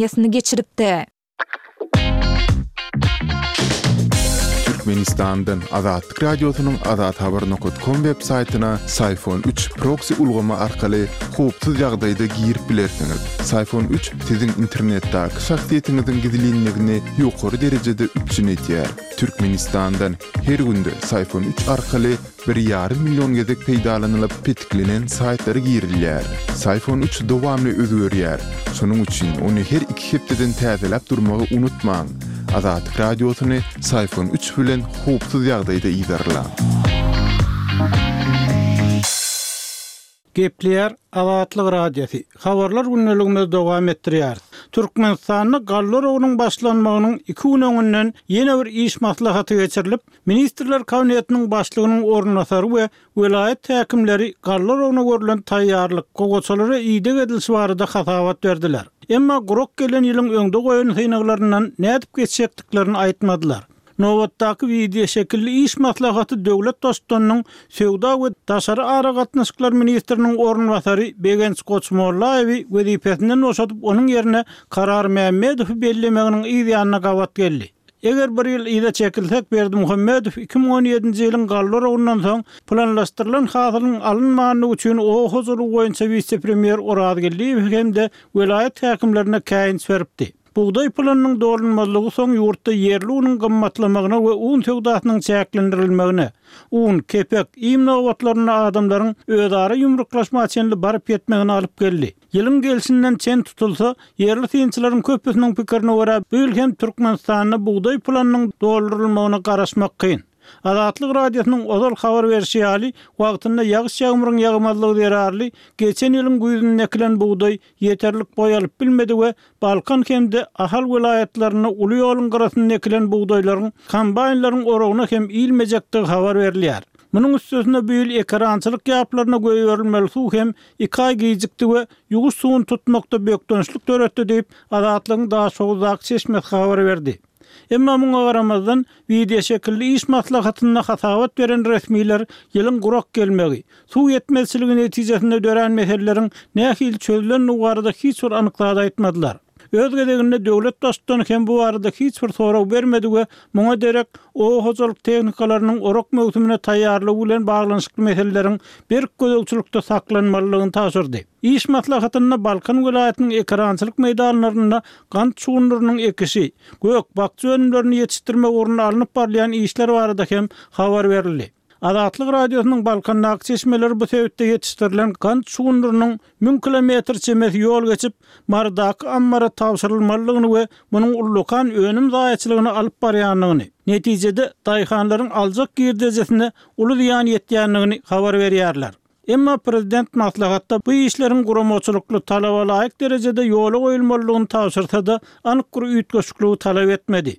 Ýasyny geçiripdi. Türkmenistandan Azatlyk Radiosynyň azathabar nokat kom web saýtyna Syfon üç proksi ulgamy arkaly howpsuz ýagdaýda girip bilersiňiz. Syfon üç siziň internetdäki şahsyýetiňiziň gizlinligini ýokary derejede üpjün edýär. Türkmenistandan her günde Syfon üç arkaly Bir ýarym million gezek peýdalanylyp petiklenen saýtlara girilýär. Syfon üç dowamly özgerýär. Şonuň üçin ony her iki hepdeden täzeläp durmagy unutmaň. Azatlyk Radiosyny Syfon üç bilen howpsuz ýagdaýda yzarlaň. Gepleýär Azatlyk Radiosy. Habarlar gündeligimizi dowam etdirýäris. Türkmenistanda galla oragynyň başlanmagynyň iki gün öňünden ýene bir iş maslahaty geçirilip, Ministrler Kabinetiniň başlygynyň orunbasary we welaýat häkimleri galla oragyna görlen taýýarlyk, gowaçalara ideg edilişi barada hasabat berdiler. Emma gurak gelen ýylyň öňde goýan synaglaryndan nädip geçjekdiklerini aýtmadylar. Nobatdaky wideoşekilli iş maslahaty döwlet Baştutanynyň söwda we daşary aragatnaşyklar ministriniň orunbasary Begenç Goçmollaýewi wezipesinden boşadyp, onuň ýerine Karar Mämmedowy bellemeginiň yz ýanyna gabat geldi. Eger bir ýyl yza çekilsek, Berdimuhamedow 2017-nji ýylyň galla oragyndan soň planlaşdyrylan hasylyň alynmandygy üçin oba hojalygy boýunça wise-premýer Oraz Geldiýewe hem-de welaýat häkimlerine käýinç beripdi. Bugdaý pylanynyň dolunmazlygy soň ýurtda ýerli unuň gymmatlamagyna we un söwdasynyň çäklendirilmegine, un, kepek, iým nobatlarynda adamlaryň özara ýumruklaşma çenli baryp ýetmegine alyp geldi. Ýylyň gelşinden çen tutulsa, ýerli synçylaryň köpüsiniň pikirine görä, bu ýyl hem Türkmenistanda bugdaý pylanynyň doldurylmagyna garaşmak kyn. Azatlyk Radiosynyň ozal habar berşi ýaly, wagtynda ýagyş-ýagmyryň ýagmazlygy zerarly geçen ýylyň güýzünde ekilen bugdaý ýeterlik boý alyp bilmedi we Balkan hem-de Ahal welaýatlarynda uly ýoluň gyrasynda ekilen bugdaýlaryň kombaýnlaryň oragyna hem ilmejekdigi habar berilýär. Munuň üstesine bu ýyl ekerançylyk ýaplaryna goýberilmeli suw hem iki aý gijikdi we ýuwuş suwuny tutmakda bökdençlik döretdi diýip, Azatlygyň Daşoguzdaky çeşmesi habar berdi. Emma muňa garamazdan, wideoşekilli iş maslahatynda hasabat beren resmiler ýylyň gurak gelmegi, suw ýetmezçiligi netijesinde dörän meseleleriň nähili çözülendigi barada hiç bir anyk zat aýtmadylar. Öz gezeginde döwlet Baştutany hem bu barada hiç bir sorag bermedi we muňa derek oba hojalyk tehnikalarynyň orak möwsümine taýýarlygy bilen baglanyşykly meseleleriň berk gözegçilikde saklanmalydygyny tabşyrdy. Iş maslahatynda Balkan welaýatynyň ekerançylyk meýdanlarynda gant şugundyrynyň ekişi, gök, bakja önümlerini ýetişdirmek ugrunda alnyp barylýan işler barada hem habar berildi. Azatlyk Radiosynyň Balkandaky çeşmeleri bu sebitde ýetişdirilen gant şugundyrynyň müň kilometr çemesi ýol geçip, Marydaky ammara tabşyrylmalydygyny we munuň ullakan önüm zaýaçylygyna alyp barýandygyny, netijede, daýhanlaryň aljak girdejisine uly zyýan ýetýändigini habar berýärler. Emma prezident maslahatda bu işleriň guramaçylykly, talaba laýyk derejede ýola goýulmalydygyny tabşyrsa-da, anyk bir üýtgeşikligi talap etmedi.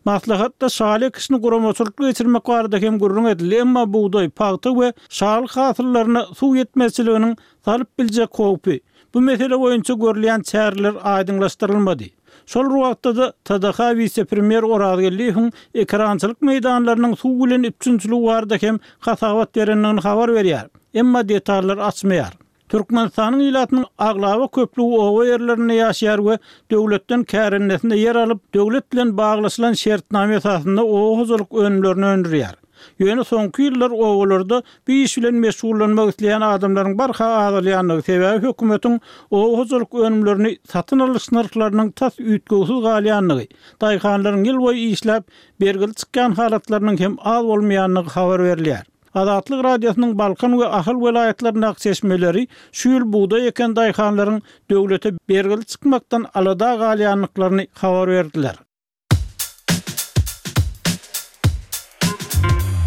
Maslahatda şaly ekişini guramaçylykly geçirmek barada hem gürrüň edildi, emma bugdaý, pagta we şaly hasyllaryna suw ýetmezçiliginiň salyp biljek howpy, bu mesele boýunça görülýän çäreler aýdyňlaşdyrylmady. Şol bir wagtda-da, TDH wise-premýer Orazgeldiýewiň ekerançylyk meýdanlarynyň suw bilen üpjünçiligi barada hem hasabat berendigini habar berýär, emma detallary açmaýar. Türkmenistanyň ilatynyň aglaba köplügi oba ýerlerinde ýaşaýar we döwletden kärendesine ýer alyp, döwlet bilen baglaşylan şertnama esasynda oba hojalyk önümlerini öndürýär. Ýöne soňky ýyllar obalarda bu iş bilen meşgullanmak isleýän adamlaryň barha azalýandygy, sebäbi hökümetiň oba hojalyk önümlerini satyn alyş nyrhlarynyň tas üýtgewsiz galýandygy, daýhanlaryň ýylboýy işläp, bergili çykýan halatlarynyň hem az bolmaýandygy habar berilýär. Azatlyk Radiosynyň Balkan we Ahal welaýatlaryndaky çeşmeleri şu ýyl bugdaý eken daýhanlaryň döwlete bergili çykmakdan alada galýandyklaryny habar berdiler.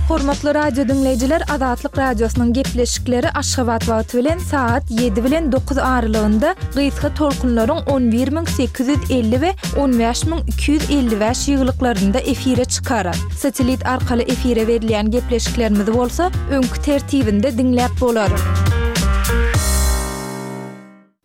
Hormatly radio diňleýjiler, Azatlyk Radiosynyň gepleşikleri Aşgabat wagty bilen sagat 7 bilen 9 aralygynda gysga tolkunlaryň 11850 we 15255 ýygylyklarynda efire çykar. Satellit arkaly efire berilýän gepleşiklerimizi bolsa öňki tertibinde diňläp bolar.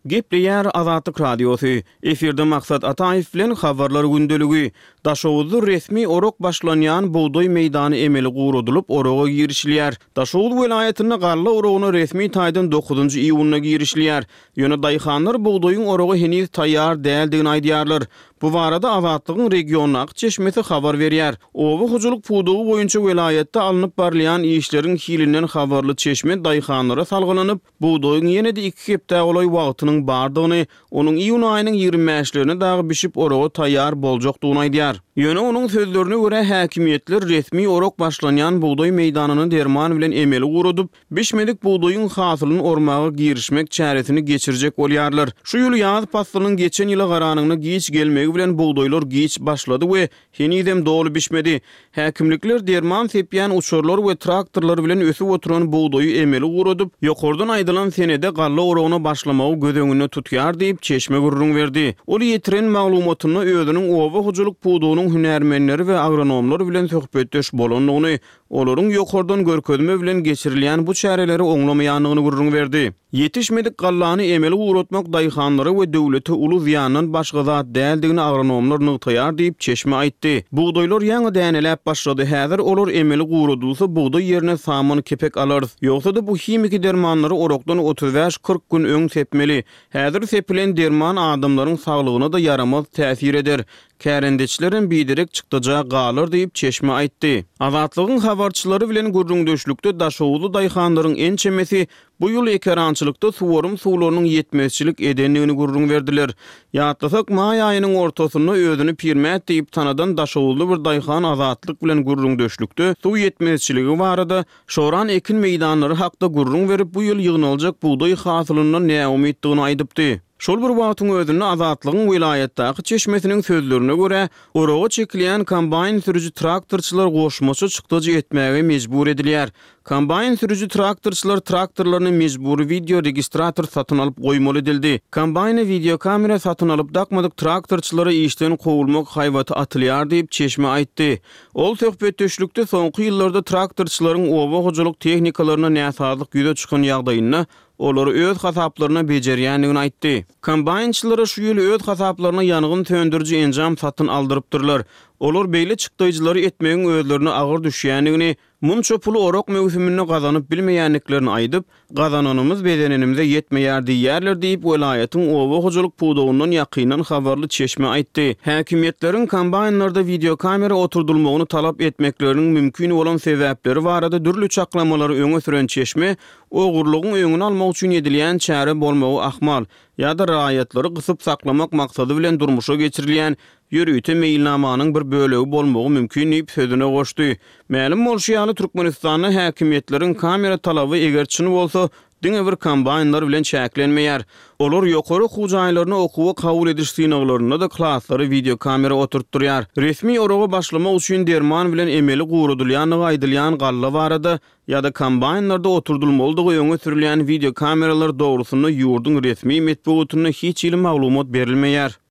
Gepleýär Azatlyk Radiosy, Efirde Maksat Ataýew bilen Habarlar gündeligi. Daşoguzda resmi orak başlanýan bugdaý meýdany emeli guradylyp, oraga girişilýär. Daşoguz welaýatynda galla oragyna resmi taýdan dokuzynjy iýunda girişilýär. Ýöne daýhanlar bugdaýyň oraga heniz taýýar däldigini aýdýarlar. Bu barada Azatlygyň regiondaky çeşmesi habar berýär. Oba hojalyk pudagy boýunça welaýatda alnyp barylýan işleriň hilinden habarly çeşme daýhanlara salgylanyp, Bugdaýyň ýene-de iki hepdä golaý wagtynyň bardygyny, onuň iýun aýynyň 20 bäşlerine dagy bişip oraga taýýar boljakdygyny aýdýar. Ýöne onuň sözlerine görä, häkimiýetler resmi orak başlanýan bugdaý meýdanyny derman bilen emeli guradyp, bişmedik bugdaýyň hasylyny ormaga girişmek çäresini geçirjek bolýarlar. Şu ýyl ýaz paslynyň geçen ýyla garanyňda giç gelmegi bilen bugdaýlar giç başlady we Henizem doly bişmedi. Häkimlikler derman sepýän uçarlar we traktorlar bilen ösüp oturan bugdaýy emeli guradyp, ýokardan aýdylan senede galla oragyna başlamagy göz öňünde tutýar diýip, çeşme gürrüň berdi. Ol ýetiren maglumatynda özüniň oba hojalyk pudagynyň hünärmenleri we agronomlar bilen söhbetdeş bolandygyny, olaryň ýokardan görkezme bilen geçirilýän bu çäreleri oňlamaýandygyny gürrüň berdi. Ýetişmedik gallany emeli guratmak daýhanlara we döwlete uly zyýandan başga zat däldigini agronomlar nygtaýar diýip, çeşme aýtdy. Bugdaýlar ýaňy däneläp başlady, häzir olar emeli guradylsa, bugdaý ýerine saman kepek alarys. Ýogsa-da bu himiki dermanlary orakdan 35-40 gün öň sepmeli. Häzir sepilen derman adamlaryň saglygyna-da ýaramaz täsir eder. Kärendeçilerem biderek çykdaja galar diýip, çeşme aýtdy. Azatlygyň habarçylary bilen gürrüňdeşlikde daşoguzly daýhanlaryň ençemesi Bu ýyl ekerançylykda suwarym suwlarynyň ýetmezçilik edendigini gürrüň berdiler. Ýatlasak, maý aýynyň ortasynda özüni Pirmät diýip tanadan daşoguzly bir daýhan Azatlyk bilen gürrüňdeşlikde suw ýetmezçiligi barada, şoran ekin meýdanlary hakda gürrüň berip, bu ýyl ýygnaljak bugdaý hasylyndan näumytdygyny aýdypdy. Şol bir wagtyň özünde Azatlygyň welaýatdaky çeşmesiniň sözlerine görä, oraga çekilýän kombaýn sürüji traktorçylar goşmaça çykdajy etmäge mejbur edilýär. Kombaýn sürüji traktorçylar traktorlaryna mejbury wideo registrator satyn alyp goýmaly edildi. Kombaýna wideokamera satyn alyp dakmadyk traktorçylara işden kowulmak haýbaty atylýar diýip, çeşme aýtdy. Ol söhbetdeşlikde soňky ýyllarda traktorçylaryň oba hojalyk tehnikalaryna näsazlyk ýüze çykan ýagdaýynda olary öz hasaplaryna bejerýändigini aýtdy. Kombaýnçylara şu ýyl öz hasaplaryna ýangyn söndüriji enjam satyn aldyrypdyrlar. Olar beýle çykdaýjylary etmegiň özlerine agyr düşýändigini, Munça puly orak möwsüminde gazanyp bilmeýändiklerini aýdyp, gazananymyz bezenenimize ýetmeýär diýýärler diýip, welaýatyň oba hojalyk pudagyndan ýakyndan habarly çeşme aýtdy. Häkimiýetleriň kombaýnlarda wideokamera oturdylmagyny talap etmekleriniň mümkin bolan sebäpleri barada dürli çaklamalary öňe süren çeşme, ogurlygyň öňüni almak üçin edilýän çäre bolmagy ahmal, ýa-da raýatlary gysyp saklamak maksady bilen durmuşa geçirilýän ýörite meýilnamanyň bir bölegi bolmagy mümkin diýip, sözüne goşdy. Mälim bolşy ýaly, Türkmenistanda häkimiýetleriň kamera talaby eger çyn bolsa, diňe bir kombaýnlar bilen çäklenmeýär. Olar ýokary okuw jaýlaryna okuwa kabul ediş synaglarynda-da klaslara wideokamera oturtdyrýar. Resmi oraga başlamak üçin derman bilen emeli guradylýandygy aýdylýan galla barada ýa-da kombaýnlarda oturdylmalydygy öňe sürülýän wideokameralar dogrusynda ýurduň resmi metbugatynda hiç hili maglumat berilmeýär.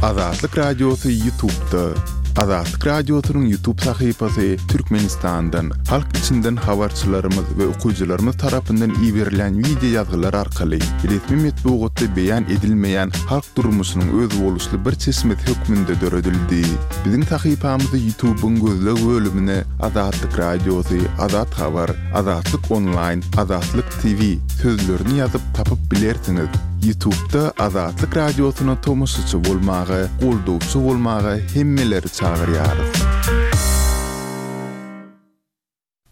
Azatlyk Radiosy Ýutubda. Azatlyk Radiosynyň Ýutub sahypasy Türkmenistandan, halk içinden habarçylarymyz we okyjylarymyz tarapyndan iberilýän wideo ýazgylar arkaly resmi metbugatda beýan edilmeýän halk durmuşynyň özboluşly bir çeşmesi hökmünde döredildi. Biziň sahypamyzy Ýutubyň gözleg bölümine Azatlyk Radiosy, Azat Habar, Azatlyk Onlaýn, Azatlyk TV sözlerini ýazyp tapyp bilersiňiz. Ýutubda Azatlyk Radiosyna tomaşaçy bolmaga, goldawçy bolmaga hemmeleri çagyrýarys.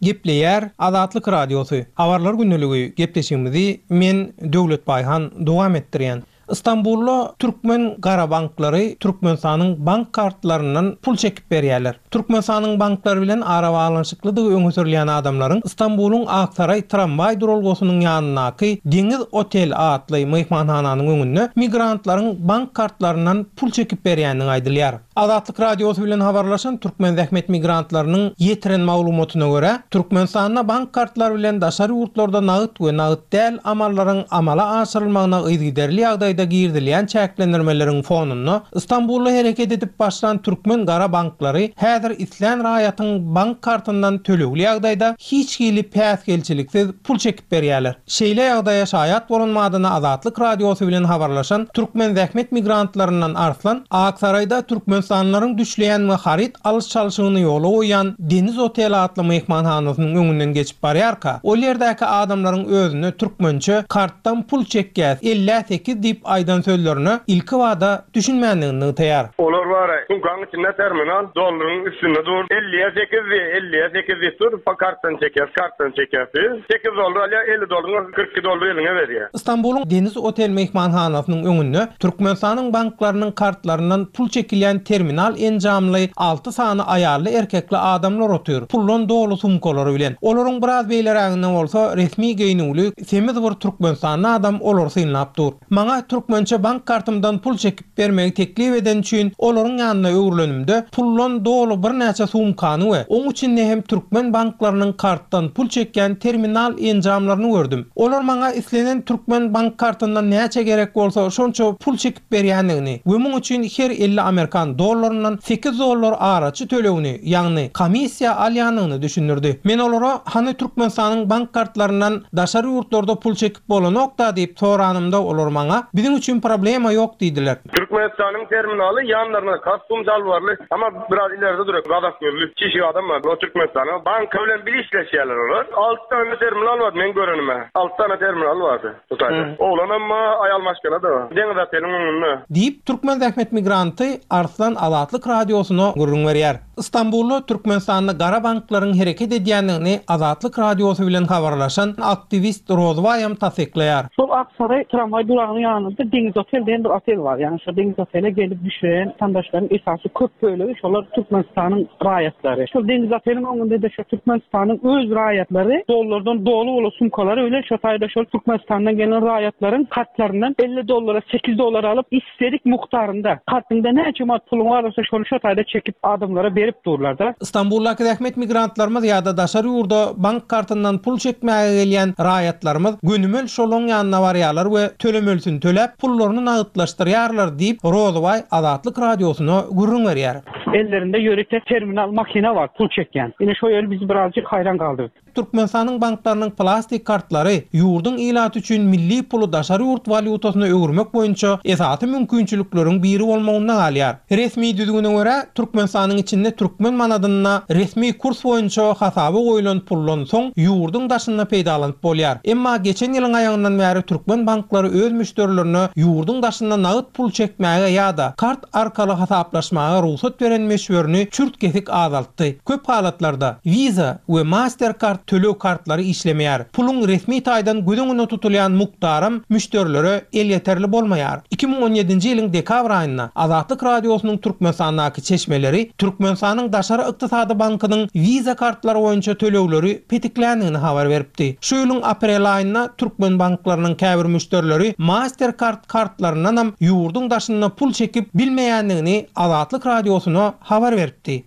Gepleýär Azatlyk Radiosy, Habarlar gündeligi gepleşigimizi men Döwlet Baýhan dowam etdirýän. Stambulda türkmen gara banklary Türkmenistanyň bank kartlaryndan pul çekip berýärler. Türkmenistanyň banklary bilen arabaglanyşyklydygy öňe sürülýän adamlaryň Stambulyň Aksaraý tramwaý duralgasynyň ýanyndaky Deňiz otel atly myhmanhananyň öňünde migrantlaryň bank kartlaryndan pul çekip berýändigi aýdylýar. Azatlyk Radiosy bilen habarlaşan türkmen zähmet migrantlarynyň ýetiren maglumatyna görä, Türkmenistanda bank kartlary bilen daşary ýurtlarda nagt we nagt däl amallaryň amala aşyrylmagyna yzygiderli ýagdaýda girizilýän çäklendirmeleriň fonunda Stambulda hereket edip başlan türkmen gara banklary häzir. Häzir islän raýatyň bank kartyndan tölegli ýagdaýda hiç hili päsgelçiliksiz pul çekip berýärler. Şeýle ýagdaýa şaýat bolan madyna Azatlyk Radiosy bilen habarlaşan türkmen zähmet migrantlaryndan Arslan, Aksaraýda türkmenistanlylaryň düşleýän we haryt alyş-çalşygyny ýola goýýan Deniz otel atly myhmanhanasynyň öňünden geçip barýarka, ol ýerdäki adamlaryň özüne türkmençe kartdan pul çekýäs, ellä sekiz diýip aýdan sözlerine ilkibada düşünmändigini nygtaýar. Olar bar-a, sumkaň içinde terminal, dollaryň üstünde dur. Elliýe sekiz diýýär, elliýe sekiz diýip dur, kartdan çekýäs, kartdan çekýäs diýip. Sekiz dollar alýar, 50 dollaryň 42 dollar eliňe berýär. Stambulyň Deniz Otel myhmanhanasynyň öňünde Türkmenistanyň banklarynyň kartlaryndan pul çekilýän terminal enjamly alty sany aýally-erkekli adamlar otyr, puldan doly sumkalary bilen. Olaryň biraz beýleräginde bolsa resmi geýnüwli, semiz bir türkmenistanly adam olary synlap dur. Maňa türkmençe bank kartymdan pul çekip bermegi teklip edeni üçin olaryň ýanyna öwrülenimde, puldan doly birnäçe sumkany we oň içinde hem türkmen banklarynyň kartdan pul çekýän terminal enjamlaryny gördüm. Olar maňa islenen türkmen bank kartyndan näçe gerek bolsa şonça pul çekip berýändigini we muň üçin her 50 amerikan dollaryndan sekiz dollar araçy tölegini, ýagny komissiýa alýandygyny düşündirdi. Men olara hany Türkmenistanyň bank kartlaryndan daşary ýurtlarda pul çekip Bolanok-da diýip soranymda olar maňa, Biziň üçin problema ýok diýdiler. Türkmenistanyň terminaly ýanlarynda kostum jalbarly ama biraz ileride duran gazak gözli çişik adam bar. O Türkmenistanyň banky bilen bile işleşýärler olar. Alty sany terminal bardy meň görenime. Alty sany terminal bardy bu taýda. Oglanam bar, aýal maşgala-da bar. Deňiz oteliň öňünde. Diýip, türkmen zähmet migranty Arslan Azatlyk Radiosyna gürrüň berýär. Stambulda Türkmenistanda gara banklaryň hereket edýändigini Azatlyk Radiosy bilen habarlaşan aktiwist Rozbaýam tassyklaýar. Şol Aksaray tramwaý duragynyň ýanynda Deňiz otel diýen bir otel bar. Ýagny şo Deňiz otele gelip düşen watandaşlaryň esasy köp bölegi şolar Türkmenistanyň raýatlary. Şol Deňiz oteliň öňünde-de şo Türkmenistanyň öz raýatlary dollardan doly bolan sumkalary bilen şo taýda şol Türkmenistandan gelen raýatlaryň kartlaryndan 50 dollara 8 dollar alyp Isledik mukdarynda, kartyňda näçe manat puluň bar bolsa şony şo taýda çekip adamlara berip durlarda. Stambuldaky zähmet migrantlarymyz ýa-da daşary ýurda bank kartyndan pul çekmäge gelýän raýatlarymyz gönümel şolaň ýanyna barýarlar we tölemelisini töläp, pullaryny nagytlaşdyrýarlar diýip, Rozybaý Azatlyk Radiosyna gürrüň berýär. Ellerinde ýörite terminal makina bar pul çekýän. Ine şo ýeri bizi birazjyk haýran galdyrdy. Türkmenistanyň banklarynyň plastik kartlary ýurduň ilaty üçin milli puly daşary ýurt walýutasyna öwürmek boýunça esasy mümkinçilikleriň biri bolmagynda galýar. Resmi düzgüne görä, Türkmenistanyň içinde türkmen manadynda resmi kurs boýunça hasaba goýlan puldan soň ýurduň daşynda peýdalanyp bolýar. Emma geçen ýylyň aýagyndan bäri türkmen banklary öz müşderilerine ýurduň daşynda nagt pul çekmäge ýa-da kart arkaly hasaplaşmaga rugsat beren möçberini çürt-kesik azaltdy. Köp halatlarda, Visa we Mastercard töleg kartlary işlemeýär. Puluň resmi taýdan göz öňünde tutulýan mukdaram müşderilere elýeterli bolmaýar. 2017-nji ýylyň dekabr aýynda Azatlyk Radiosynyň Türkmenistandaky çeşmeleri Türkmenistanyň Daşary ykdysady bankynyň Visa kartlary boýunça tölegleri petikländigini habar beripdi. Şu ýylyň aprel aýynda türkmen banklarynyň käbir müşderileri Mastercard kartlaryndanam ýurduň daşynda pul çekip bilmeýändigini Azatlyk Radiosyna habar beripdi.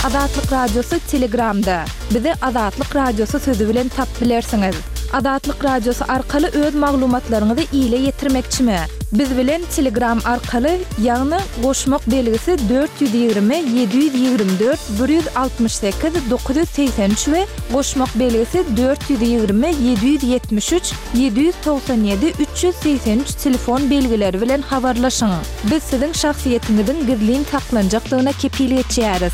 Azatlyk Radiosy Telegramda. Bizi Azatlyk Radiosy sözi bilen tapyp bilersiňiz. Azatlyk Radiosy arkaly öz maglumatlaryňyzy ile ýetirmekçimi? Biz bilen Telegram arkaly, ýagny goşmak belgisi 420 724 168 983 we goşmak belgisi 420 773 797 383 telefon belgileri bilen habarlaşyň. Biz siziň şahsyýetiňiziň gizlin saklanjakdygyna kepil geçýäris.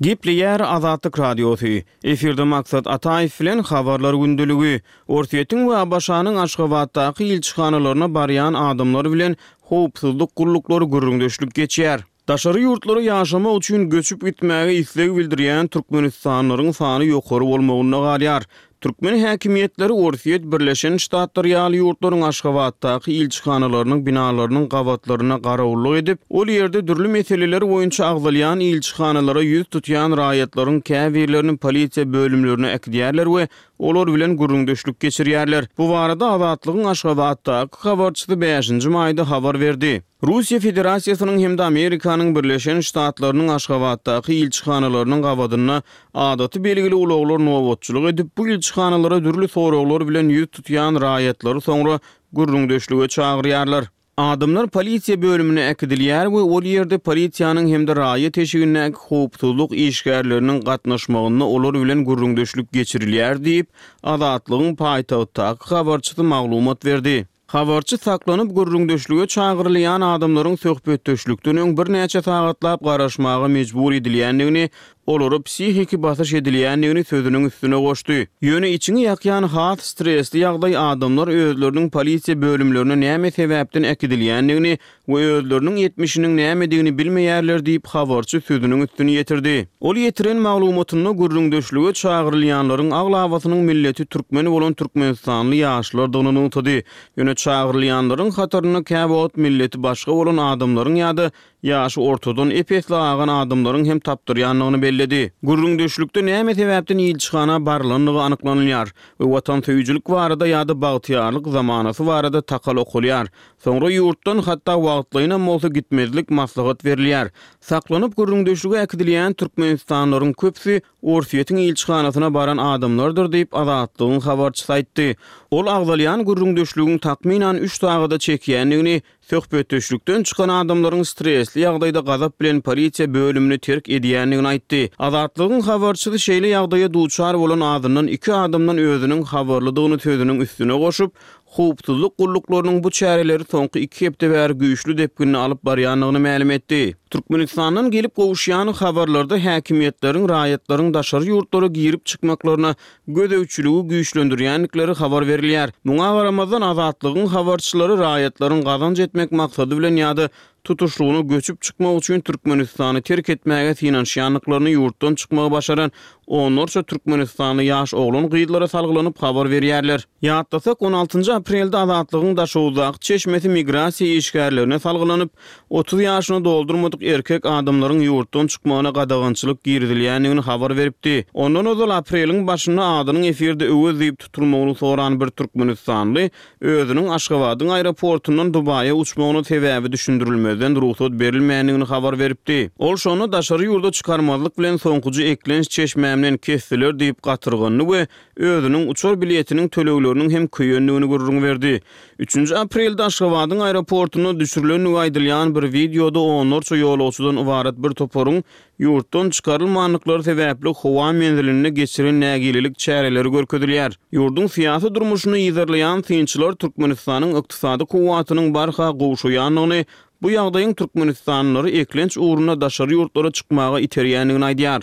Gepleýär Azatlyk Radiosy. Efirde Maksat Ataýew bilen Habarlar gündeligi. Orsýetiň we ABŞ-nyň Aşgabatdaky ilçihanalaryna barýan adamlar bilen howpsuzlyk gulluklary gürrüňdeşlik geçýär. Daşary ýurtlara ýaşamak üçin göçüp gitmäge isleg bildirýän türkmenistanlylaryň sany ýokary bolmagynda galýar. Türkmen häkimiýetleri Orsýet, Birleşen Ştatlar ýaly ýurtlaryň Aşgabatdaky ilçihanalarynyň binalarynyň gabatlarynda garawullyk edip, ol ýerde dürli meseleler boýunça agzalýan ilçihanalara ýüz tutýan raýatlaryň käbirlerini polisiýa bölümlerine äkidýärler we olar bilen gürrüňdeşlik geçirýärler. Bu barada Azatlygyň Aşgabatdaky habarçysy bäşinji maýda habar berdi. Russiýa Federasiýasynyň hem-de Amerikanyň Birleşen Ştatlarynyň Aşgabatdaky ilçihanalarynyň gabadynda adaty belgili ulaglar nobatçylyk edip, bu ilçihanalara dürli soraglar bilen ýüz tutýan raýatlary soňra gürrüňdeşlige çagyrýarlar. Adamlar polisiýa bölümine äkidilýär we ol ýerde polisiýanyň hem-de raýat eşigindäki howpsuzlyk işgärleriniň gatnaşmagynda olar bilen gürrüňdeşlik geçirilýär diýip, Azatlygyň paýtagtdaky habarçysy maglumat berdi. Habarçy saklanyp gürrüňdeşlige çagyrylýan adamlaryň söhbetdeşlikden öň birnäçe sagatlap garaşmaga mejbur edilýändigini, olara psihiki basyş edilýändigini sözüniň üstüne goşdy. Ýöne içiňi ýakýan has stresli ýagdaý adamlar özleriniň polisiýa bölümlerine näme sebäpden äkidilýändigini we özleriniň etmişiniň nämedigini bilmeýärler diýip, habarçy sözüniň üstüni ýetirdi. Ol ýetiren maglumatynda gürrüňdeşlige çagyrylýanlaryň aglabasynyň milleti türkmen bolan türkmenistanly ýaşlardygyny nygtady. Ýöne çagyrylýanlaryň hatarynda käwagt milleti başga bolan adamlaryň ýa-da ýaşy ortadan ep-esli agan adamlaryň hem tapdyrýandygyny belledi. Gürrüňdeşlikde näme sebäpden ilçihana barylandygy anyklanylýar we watansöýüjilik barada ýa-da bagtyýarlyk zamanasy barada takal okalýar. Soňra ýurtdan hatda wagtlaýynam bolsa gitmezlik maslahat berilýär. Saklanyp gürrüňdeşlige äkidilýän türkmenistanlylaryň köpüsi Orsýetiň ilçihanasyna baran adamlardyr diýip, Azatlygyň habarçysy aýtdy. Ol agzalýan gürrüňdeşligiň takmynan üç sagada çekýändigini, söhbetdeşlikden çykan adamlaryň stresli ýagdaýda gazap bilen polisiýa bölümini terk edýändigini aýtdy. Azatlygyň habarçysy şeýle ýagdaýa duçar bolan azyndan iki adamdan özüniň habarlydygyny sözüniň üstüne goşup, Howpsuzlyk gulluklarynyň bu çäreleri soňky iki hepde bäri güýçli depginde alyp barýandygyny mälim etdi. Türkmenistandan gelip gowuşýan habarlarda häkimiýetleriň raýatlaryň daşary ýurtlara girip-çykmaklaryna gözegçiligi güýçlendirýändikleri habar berilýär. Muňa garamazdan, Azatlygyň habarçylary raýatlaryň gazanç etmek maksady bilen ýa-da tutuşlygyna göçüp çykmak üçin Türkmenistany terk etmäge synanyşýandyklaryny ýurtdan çykmagy başaran onlarça türkmenistanly ýaş oglan-gyzlara salgylanyp habar berýärler. Ýatlasak, on altynjy aprelde Azatlygyň Daşoguzdaky çeşmesi migrasiýa işgärlerine salgylanyp, 30 ýaşyny doldurmadyk erkek adamlaryň ýurtdan çykmagyna gadagançylyk girizilýändigini habar beripdi. Ondan ozal apreliň başynda adynyň efirde Öwez diýip tutulmagyny soran bir türkmenistanly özüniň Aşgabadyň aeroportundan Dubaýa uçmagyna sebäbi düşündirilmezden rugsat berilmändigini habar beripdi. Ol şonda daşary ýurda çykarmazlyk bilen soňkuja eklenç çeşmämden kesdiler diýip gatyrgandy we özüniň uçar biletiniň tölegleriniň hem köýendigini gürrüň berdi. Üçünji aprelde Aşgabadyň aeroportunda düşürilendigi aýdylýan bir wideoda onlarça ýolagçydan ybarat bir toparyň ýurtdan çykarylmandyklary sebäpli howa menzilinde geçiren nägilelik çäreleri görkezilýär. Ýurduň syýasy durmuşyny yzarlaýan synçylar Türkmenistanyň ykdysady kuwwatynyň barha gowşaýandygyny, bu ýagdaýyň türkmenistanlylary eklenç ugrunda daşary ýurtlara çykmaga iterýändigini aýdýar.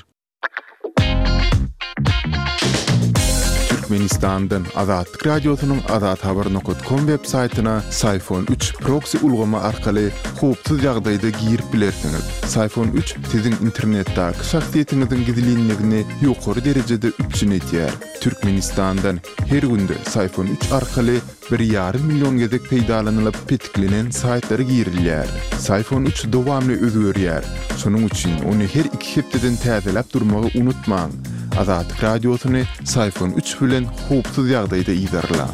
Türkmenistandan Azatlyk Radiosynyň Azathabar nokat kom web saýtyna Syfon üç proksi ulgamy arkaly howpsuz ýagdaýda girip bilersiňiz. Syfon üç siziň internetdäki şahsyýetiňiziň gizlinligini ýokary derejede üpjün edýär. Türkmenistandan her günde Syfon üç arkaly bir ýarym million gezek peýdalanylyp petiklenen saýtlara girilýär. Syfon üç dowamly özgerýär. Şonuň üçin ony her iki hepdeden täzeläp durmagy unutmaň. Azatlyk Radiosyny Syfon üç bilen howpsuz ýagdaýda yzarlaň.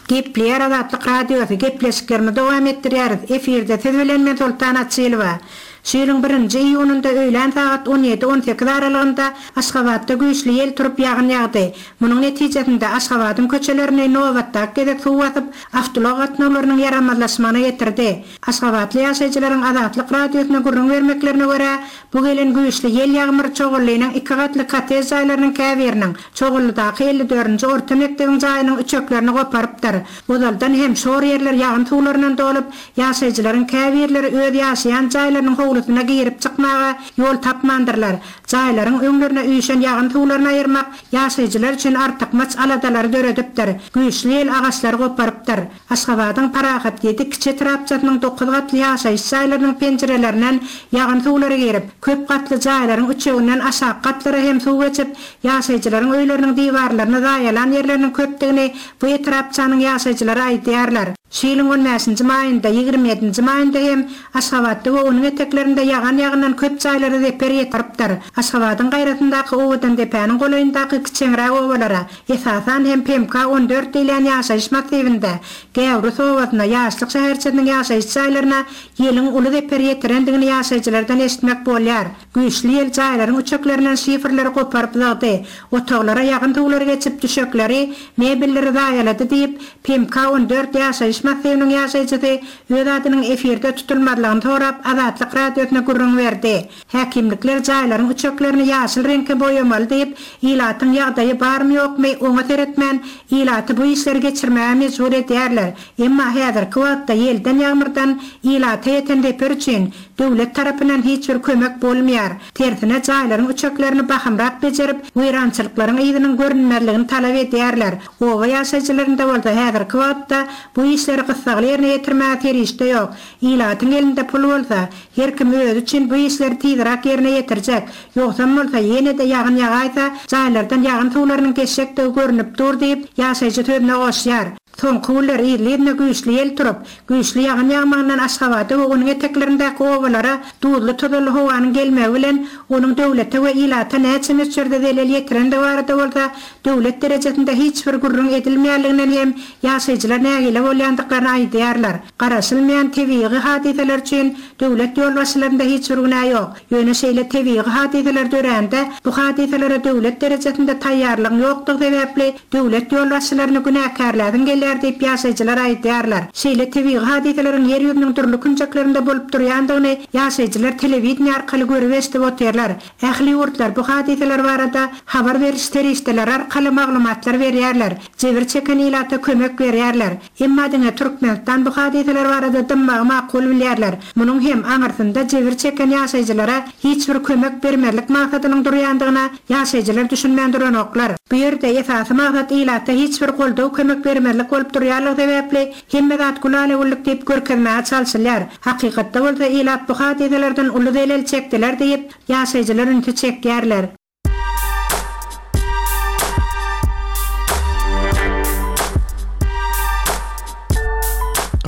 Gepleýär Azatlyk Radiosy, gepleşiklerimizi dowam etdirýäris. Efirde siz bilen men Soltan Açylowa. Şu ýylyň birinji iýunynda öýlän sagat 17, 18 aralygynda Aşgabatda güýçli ýel turup ýagyn ýagdy. Munuň netijesinde Aşgabadyň köçelerini nobatdaky gezek suw basyp, awtoulag gatnawlarynyň ýaramazlaşmagyna getirdi. Aşgabatly ýaşaýjylaryň Azatlyk Radiosyna gürrüň bermeklerine görä, bu gelen güýçli ýel-ýagmyr Çoganlynyň iki gatly kottej jaýlarynyň käbiriniň, Çoganlydaky 54-nji orta mekdebiň jaýynyň üçeklerini goparypdyr. Ozaldan hem şor ýerler ýagyn suwlaryndan dolup, ýaşaýjylaryň käbirleri öz ýaşaýan jaýlarynyň howlusyna girip-çykmaga ýol tapmandyrlar. Jaýlaryň öňlerine üýşen ýagyn suwlaryny aýyrmak ýaşaýjylar üçin artykmaç aladalary döredipdir. Güýçli ýel agaçlary goparypdyr. Aşgabadyň Parahat ýedi kiçi etrapçasynyň dokuz gatly ýaşaýyş jaýlarynyň penjirelerinden ýagyn suwlary girip, köp gatly jaýlaryň üçeginden aşaky gatlara hem suw geçip, ýaşaýjylaryň öýleriniň diwarlaryny zaýalan ýerleriniň köpdügini bu etrapçanyň ýaşaýjylary aýdýarlar. Şu ýylyň on bäşinji maýynda, 20 ýedinji maýynda hem Aşgabatda we onuň eteklerinde ýagan ýagyndan köp jaýlara zeper ýetiripdir. Aşgabadyň gaýrasyndaky Owadandepäniň golaýyndaky kiçeňräk obalara, esasan hem PMK 14 diýilýän ýaşaýyş massiwinde, Gäwrus obasyna, Ýaşlyk şäherçesiniň ýaşaýyş jaýlaryna ýeliň uly zeper ýetirendigini ýaşaýjylardan eşitmek bolýar. Güýçli ýel jaýlaryň üçeklerinden şifrleri goparyp zyňdy, otaglara ýagyn suwlary geçip, düşekleri, mebelleri zaýalady diýip, PMK 14 ýaşaýyş massiwiniň ýaşaýjysy öz adynyň efirde tutulmazlygyny sorap, Azatlyk Radiosyna gürrüň berdi. Häkimlikler jaýlaryň üçeklerini ýaşyl reňke boýamaly diýip, ilatyň ýagdaýy barmy-ýokmy, oňa seretmän, ilaty bu işleri geçirmäge mejbur edýärler. Emma häzirki wagtda ýelden-ýagmyrdan ilata ýeten zeper üçin döwlet tarapyndan hiç bir kömek bolmaýar. Tersine, jaýlaryň üçeklerini bahymrak bejerip, weýrançylyklaryň yzynyň görünmezligini talap edýärler. Oba ýaşaýjylarynda bolsa häzirki wagtda bu işleri gyssagly ýerine ýetirmäge serişde ýok. Ilatyň elinde pul bolsa, her kim özi üçin bu işleri tizräk ýerine ýetirjek. Ýogsam bolsa, ýene-de ýagyn ýagaýsa, jaýlardan ýagyn suwlarynyň geçjekdigi görnüp dur diýip, ýaşaýjy sözüne goşýar. Soňky günler yzly-yzyna güýçli ýel turup, güýçli ýagyn ýagmagyndan Aşgabada we onuň eteklerindäki obalara duzly-tozanly howanyň gelmegi bilen onuň döwlete we ilata näçe möçberde zelel ýetirendigi barada bolsa döwlet derejesinde hiç bir gürrüň edilmeýänliginden hem ýaşaýjylar nägile bolýandyklaryny aýdýarlar. Garaşylmaýan tebigy hadysalar üçin döwlet ýolbaşçylarynda hiç bir günä ýok. Ýöne şeýle tebigy hadysalar dörände, bu hadysalara döwlet derejesinde taýýarlygyň ýokdugy sebäpli döwlet ýolbaşçylaryny günäkärläsiň gelýär diýip ýaşaýjylar aýdýarlar. Şeýle tebigy hadysalaryň ýer ýüzüniň dürli künjeklerinde bolup durýandygyny ýaşaýjylar telewideniýe arkaly görüp-eşidip otyrlar. Ähli ýurtlar bu hadysalar barada habar beriş serişdeleri arkaly maglumatlar berýärler, jebir çeken ilata kömek berýärler. Emma diňe Türkmenistan bu hadysalar barada dymmagy makul bilýärler. Munuň hem aňyrsynda jebir çeken ýaşaýjylara hiç bir kömek bermezlik maksadynyň durýandygyna ýaşaýjylar düşünmän duranoklar. Bu ýerde esasy maksat ilata hiç bir goldaw-kömek bermezlik bolup durýanlygy sebäpli hemme zat gülala-güllük diýip görkezmäge çalşylýar. Hakykatda bolsa ilat bu hadysalardan uly zelel çekdiler diýip, ýaşaýjylar ünsi çekýärler.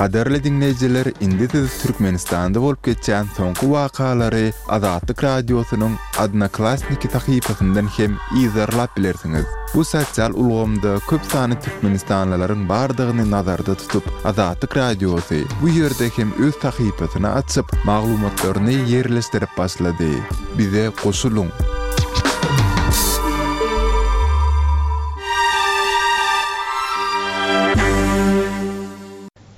Gadyrly diňleýjiler, indi siz Türkmenistanda bolup geçýän soňky wakalary Azatlyk Radiosynyň Odnoklassniki sahypasyndan hem yzarlap bilersiňiz. Bu sosial ulgamda köp sanly türkmenistanlylaryň bardygyny nazarda tutup, Azatlyk Radiosy bu ýerde hem öz sahypasyny açyp, maglumatlaryny ýerleşdirip başlady. Bize goşulyň!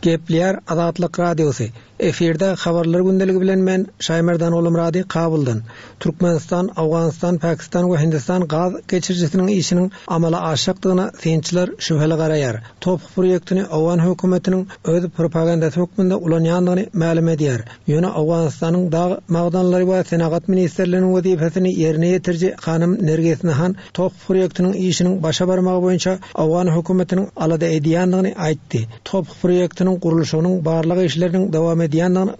Gepleýär Azatlyk Radiosy, Efirde Habarlar gündeligi bilen men, Şaýmerdan Ogulmyrady Kabuldan. Türkmenistan, Owganystan, Pakistan we Hindistan gaz geçirijisiniň işiniň amala aşjakdygyna synçylar şübheli garaýar. TOPH proýektini owgan hökümetiniň öz propagandasy hökmünde ulanýandygyny mälim edýär. Ýöne Owganystanyň dag magdanlary we senagat ministrliginiň wezipesini ýerine ýetiriji hanym Nergis Nahan TOPH proýektiniň işiniň başa barmagy boýunça owgan hökümetiniň alada edýändigini aýtdy. TOPH proýektiniň gurluşygynyň barlag işleriniň dowam edýändigini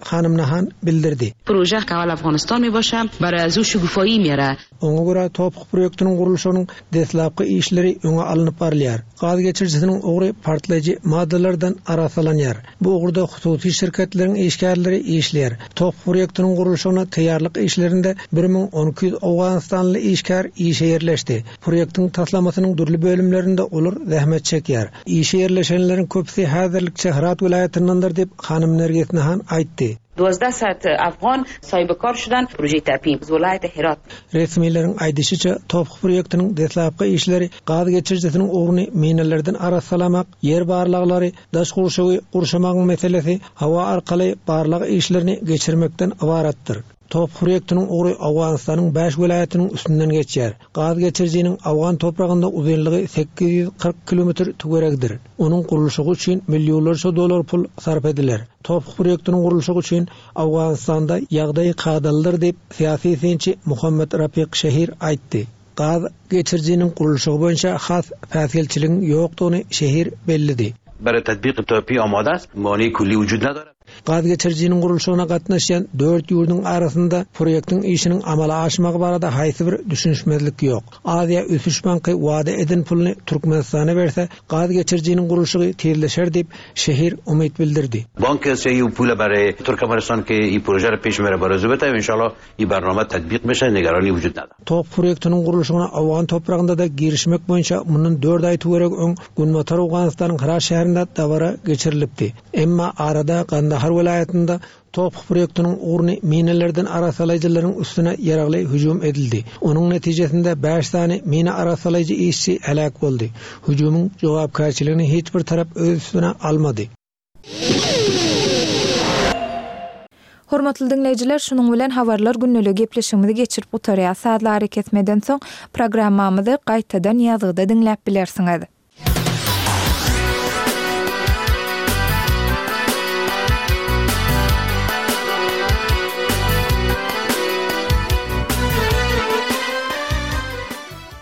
hanym Nahan bildirdi. پروژه که اول افغانستان می باشه برای از او شگوفایی میاره. Oňa görä, TOPH proýektiniň gurluşygynyň deslapky işleri öňe alnyp barylýar. Gaz geçirijisiniň ugry partlaýjy maddalardan arassalanýar. Bu ugurda hususy şirketleriň işgärleri işleýär. TOPH proýektiniň gurluşygyna taýýarlyk işlerinde 1012 owganystanly işgär işe ýerleşdi. Proýektiň taslamasynyň dürli bölümlerinde olar zähmet çekýär. Işe ýerleşenleriň köpüsi häzirlikçe Hyrat welaýatyndandyr diýip, hanym Nergis Nahan aýtdy. Duazdah sat afgan sahibi kar şudan proje TAPI welaýaty Herat. Resmileriň aýdyşyça, TOPH proýektiniň deslapky işleri gaz geçirijisiniň ugruny minalardan arassalamak, ýer barlaglary, daş gurşawy gurşamagyň meselesi, howa arkaly barlag işlerini geçirmekden ybaratdyr. TOPH proýektiniň ugry Owganystanyň bäş welaýatynyň üstünden geçýär. Gaz geçirijiniň owgan topragynda uzynlygy 840 kilometr töweregidir. Onuň gurluşygy üçin millionlarça dollar pul sarp ediler. TOPH proýektiniň gurluşygy üçin Owganystanda ýagdaý kadalydyr diýip, syýasy synçy Muhammet Rapik Şehir aýtdy. Gaz geçirijiniň gurluşygy boýunça has päsgelçiligiň ýokdugyny Şehir belledi. Bere tetbiq TOP amade est, mani kulli vücud nedare. Gaz geçirijiniň gurluşygyna gatnaşýan dört ýurduň arasynda proýektiň işiniň amala aşmagy barada haýsy bir düşünişmezlik ýok. Aziýa ösüş banky wada eden puluny Türkmenistana berse, gaz geçirijiniň gurluşygy tizleşer diýip, Şehir umyt bildirdi. Bank Asiایی او پول برای ترکمنستان که ای پروژه را پیش میبره برای بته انشاءالله ای برنامه تطبیق میشه نگرانی وجود نداره. Top proýektiniň gurluşygyna owgan topragynda-da girişmek boýunça mundan dört aý töweregi öň Günbatar Owganystanyň Hyrat şäherinde dabara geçirilipdi. Emma arada Gandahar welaýatynda Top proýektiniň ugruny minalardan arassalaýjylaryň üstüne ýaragly hüjüm edildi. Onuň netijesinde bäş sany mina arassalaýjy işçi heläk boldy. Hüjümiň jogapkärçiligini hiç bir tarap öz üstüne almady. Hormatly diňleýjiler, şunuň bilen Habarlar gündeligi gepleşigimizi geçirip gutarýas. Sazly arakesmeden soň programmamyzy gaýtadan ýazgyda diňläp bilersiňiz.